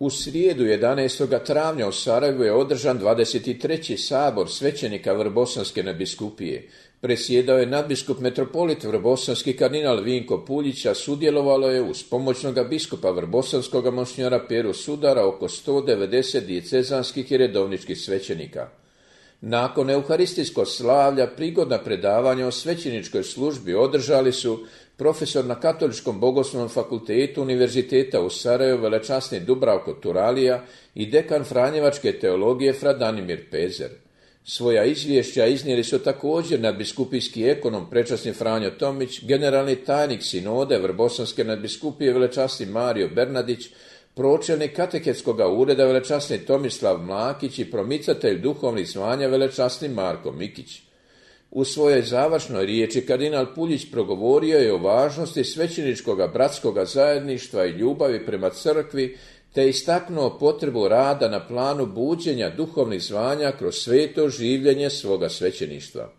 U srijedu 11. travnja u Sarajevu je održan 23. sabor svećenika Vrbosanske nadbiskupije. Presjedao je nadbiskup metropolit Vrbosanski kardinal Vinko Puljić, a sudjelovalo je uz pomoćnoga biskupa Vrbosanskoga monsinjora Peru Sudara oko 190 dijecezanskih i redovničkih svećenika. Nakon euharistijskog slavlja prigodna predavanja o svećeničkoj službi održali su profesor na Katoličkom bogoslovnom fakultetu Univerziteta u Sarajevu velečasni Dubravko Turalija i dekan franjevačke teologije fra Danimir Pezer. Svoja izvješća iznijeli su također nadbiskupijski ekonom prečasni Franjo Tomić, generalni tajnik sinode Vrbosanske nadbiskupije velečasni Mario Bernadić, pročelnik kateketskog ureda velečasni Tomislav Mlakić i promicatelj duhovnih zvanja velečasni Marko Mikić. U svojoj završnoj riječi kardinal Puljić progovorio je o važnosti svećeničkoga bratskoga zajedništva i ljubavi prema crkvi, te istaknuo potrebu rada na planu buđenja duhovnih zvanja kroz sveto življenje svoga svećeništva.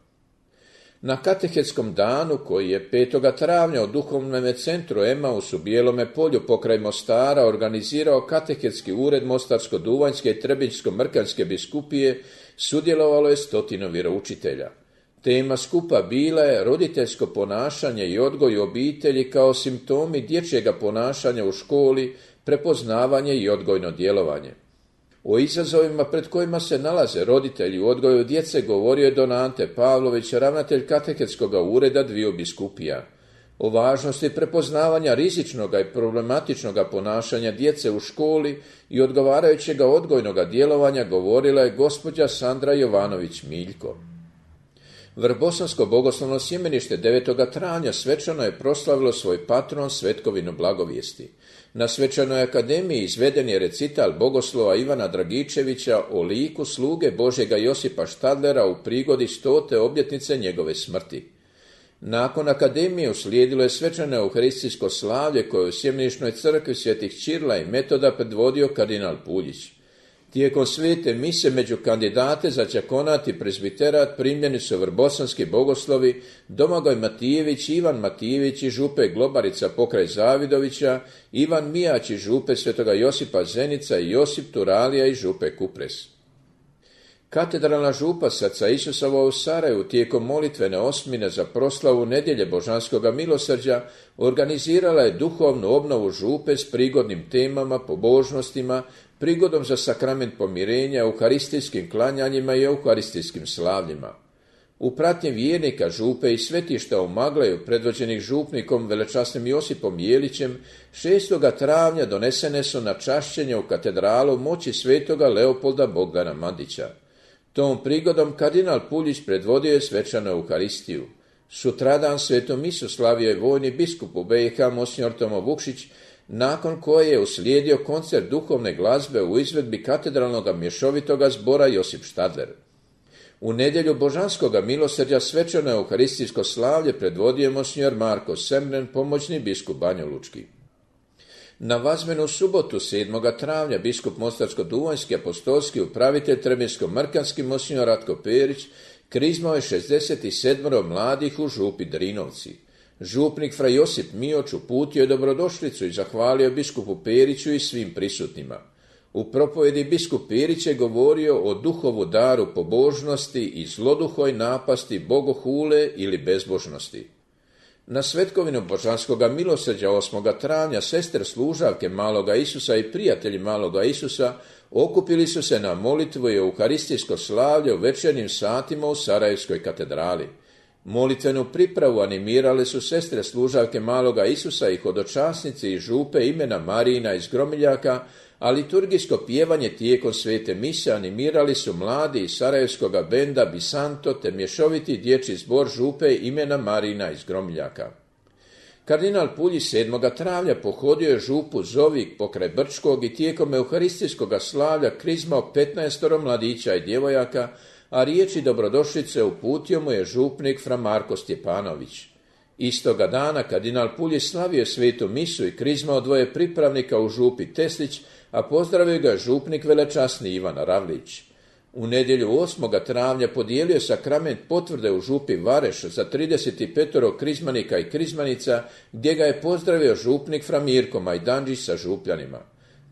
Na katehetskom danu, koji je 5. travnja u duhovnom centru Emaus u Bijelome polju pokraj Mostara organizirao katehetski ured Mostarsko-Duvanjske i Trebinjsko-Mrkanjske biskupije, sudjelovalo je 100 vjeroučitelja. Tema skupa bila je roditeljsko ponašanje i odgoj u obitelji kao simptomi dječjega ponašanja u školi, prepoznavanje i odgojno djelovanje. O izazovima pred kojima se nalaze roditelji u odgoju djece govorio je don Ante Pavlović, ravnatelj katehetskog ureda dviju biskupija. O važnosti prepoznavanja rizičnog i problematičnog ponašanja djece u školi i odgovarajućeg odgojnog djelovanja govorila je gospođa Sandra Jovanović-Miljko. Vrbosansko bogoslovno sjemenište 9. travnja svečano je proslavilo svoj patron Svetkovinu blagovijesti. Na svečanoj akademiji izveden je recital bogoslova Ivana Dragičevića o liku sluge Božjega Josipa Štadlera u prigodi 100. obljetnice njegove smrti. Nakon akademije uslijedilo je svečano euharistijsko slavlje koje u sjemenišnoj crkvi svetih Ćirila i Metoda predvodio kardinal Puljić. Tijekom svete mise među kandidate za đakonat i prezbiterat primljeni su vrbosanski bogoslovi Domagoj Matijević, Ivan Matijević i župe Globarica pokraj Zavidovića, Ivan Mijać i župe Svetoga Josipa Zenica i Josip Turalija i župe Kupres. Katedralna župa Srca Isusova u Sarajevu tijekom molitvene osmine za proslavu Nedjelje Božanskoga milosrđa organizirala je duhovnu obnovu župe s prigodnim temama, pobožnostima, prigodom za sakrament pomirenja, euharistijskim klanjanjima i euharistijskim slavljima. U pratnji vjernika župe i svetišta u Magleju, predvođenih župnikom velečasnim Josipom Jelićem, 6. travnja donesene su na čašćenje u katedralu moći svetoga Leopolda Bogdana Mandića. Tom prigodom kardinal Puljić predvodio je svečanu euharistiju. Sutradan svetu misu slavio je vojni biskup u BiH monsinjor Tomo Vukšić, nakon koje je uslijedio koncert duhovne glazbe u izvedbi katedralnog mješovitoga zbora Josip Štadler. U nedjelju Božanskoga milosrđa svečano euharistijsko slavlje predvodio je monsinjor Marko Semren, pomoćni biskup Banjolučki. Na vazmenu subotu 7. travnja biskup Mostarsko-Duvanjski apostolski upravitelj Trebinjsko-Mrkanski monsinjor Ratko Perić krizmao je 67 mladih u župi Drinovci. Župnik fra Josip Mioć uputio je dobrodošlicu i zahvalio biskupu Periću i svim prisutnima. U propovjedi biskup Perić je govorio o duhovu daru pobožnosti i zloduhoj napasti bogohule ili bezbožnosti. Na Svetkovinu Božanskoga milosrđa 8. travnja sestre služavke Maloga Isusa i prijatelji Maloga Isusa okupili su se na molitvu i euharistijsko slavlje u večernjim satima u Sarajevskoj katedrali. Molitvenu pripravu animirale su sestre služavke Maloga Isusa i hodočasnici i župe imena Marijina iz Gromiljaka, a liturgijsko pjevanje tijekom svete mise animirali su mladi iz sarajevskoga benda Bisanto te mješoviti dječji zbor župe imena Marijina iz Gromiljaka. Kardinal Puljić 7. travnja pohodio je župu Zovik pokraj Brčkog i tijekom euharistijskog slavlja krizmao 15 mladića i djevojaka, a riječi dobrodošlice uputio mu je župnik fra Marko Stjepanović. Istoga dana kardinal Puljić slavio svetu misu i krizmao 2 pripravnika u župi Teslić, a pozdravio ga župnik velečasni Ivan Ravlić. U nedjelju 8. travnja podijelio sakrament potvrde u župi Vareš za 35 krizmanika i krizmanica, gdje ga je pozdravio župnik fra Mirko Majdanđić sa župljanima.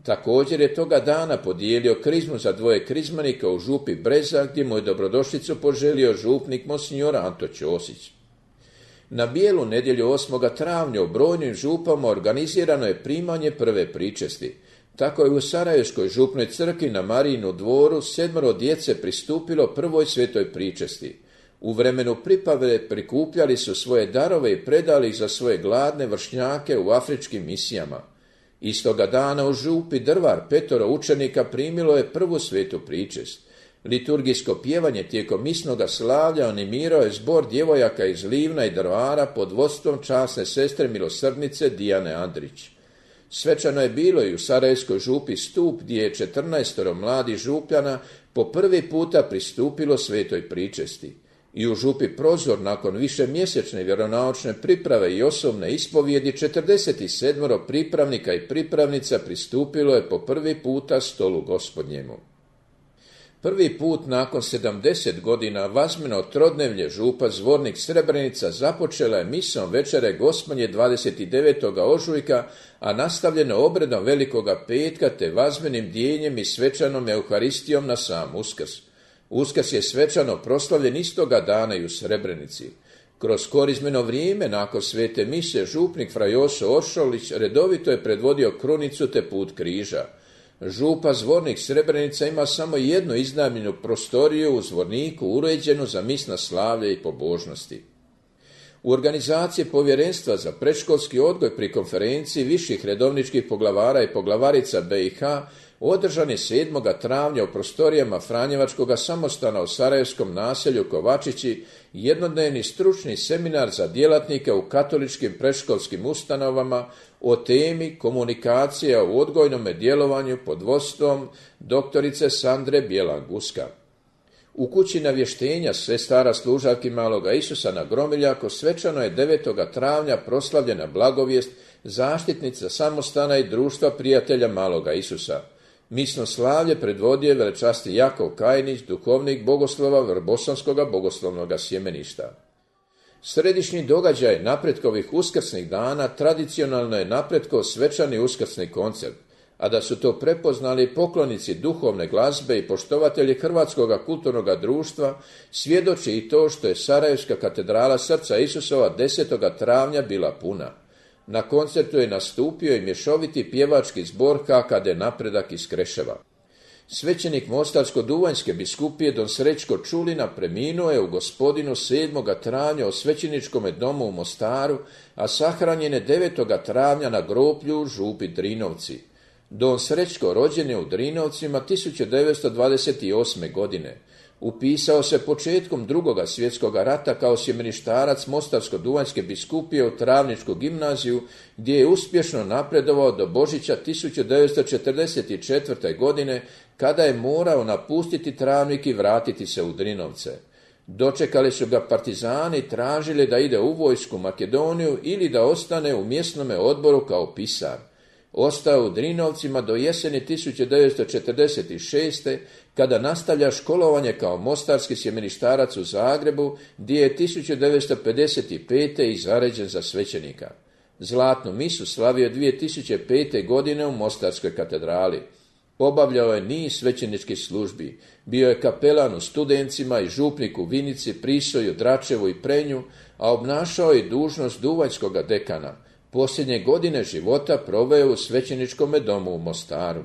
Također je toga dana podijelio krizmu za 2 krizmanika u župi Breza, gdje mu je dobrodošlicu poželio župnik monsignor Anto Ćosić. Na Bijelu nedjelju 8. travnja u brojnim župama organizirano je primanje prve pričesti. Tako je u Sarajevskoj župnoj crkvi na Marijinu dvoru 7 djece pristupilo prvoj svetoj pričesti. U vremenu pripave prikupljali su svoje darove i predali ih za svoje gladne vršnjake u afričkim misijama. Istoga dana u župi Drvar 5 učenika primilo je prvu svetu pričest. Liturgijsko pjevanje tijekom misnoga slavlja animirao je zbor djevojaka iz Livna i Drvara pod vodstvom časne sestre milosrdnice Dijane Andrić. Svečano je bilo i u Sarajevskoj župi Stup, gdje je 14 mladih župljana po prvi puta pristupilo svetoj pričesti. I u župi Prozor nakon višemjesečne vjeronaučne priprave i osobne ispovjedi 47 pripravnika i pripravnica pristupilo je po prvi puta stolu Gospodnjemu. Prvi put nakon 70 godina vazmeno trodnevlje župa Zvornik Srebrenica započela je misom večere Gospodnje 29. ožujka, a nastavljeno obredom Velikoga petka te vazmenim dijenjem i svečanom Euharistijom na sam Uskrs. Uskrs je svečano proslavljen istoga dana i u Srebrenici. Kroz korizmeno vrijeme nakon svete mise župnik fra Joso Oršolić redovito je predvodio krunicu te put križa. Župa Zvornik Srebrenica ima samo jednu iznajmljenu prostoriju u Zvorniku uređenu za misna slavlje i pobožnosti. U organizaciji Povjerenstva za predškolski odgoj pri konferenciji viših redovničkih poglavara i poglavarica BiH održan je 7. travnja u prostorijama Franjevačkog samostana u sarajevskom naselju Kovačići jednodnevni stručni seminar za djelatnike u katoličkim predškolskim ustanovama o temi komunikacija u odgojnom djelovanju pod vodstvom doktorice Sandre Bjelan-Guska. U kući navještenja sestara služavki Maloga Isusa na Gromiljaku svečano je 9. travnja proslavljena blagovijest zaštitnica samostana i društva prijatelja Maloga Isusa. Misno slavlje predvodio je velečasti Jakov Kajnić, duhovnik bogoslova Vrbosanskog bogoslovnog sjemeništa. Središnji događaj napretkovih uskrsnih dana tradicionalno je napretkov svečani uskrsni koncert, a da su to prepoznali poklonici duhovne glazbe i poštovatelji Hrvatskog kulturnog društva svjedoči i to što je Sarajevska katedrala Srca Isusova 10. travnja bila puna. Na koncertu je nastupio i mješoviti pjevački zbor HKD Napredak iz Kreševa. Svećenik Mostarsko-Duvanjske biskupije don Srećko Čulina preminuo je u Gospodinu 7. travnja u svećeničkom domu u Mostaru, a sahranjen je 9. travnja na groblju u župi Drinovci. Don Srećko rođen je u Drinovcima 1928. godine. Upisao se početkom II. Svjetskog rata kao sjemeništarac Mostarsko-Duvanjske biskupije u Travničku gimnaziju, gdje je uspješno napredovao do Božića 1944. godine, kada je morao napustiti Travnik i vratiti se u Drinovce. Dočekali su ga partizani i tražili da ide u vojsku Makedoniju ili da ostane u mjesnome odboru kao pisar. Ostao u Drinovcima do jeseni 1946. kada nastavlja školovanje kao mostarski sjemeništarac u Zagrebu, gdje je 1955. i zaređen za svećenika. Zlatnu misu slavio 2005. godine u Mostarskoj katedrali. Obavljao je niz svećeničkih službi. Bio je kapelan u Studencima i župnik u Vinici, Prisoju, Dračevu i Prenju, a obnašao je dužnost duvanjskog dekana. Posljednje godine života proveo u svećeničkom domu u Mostaru.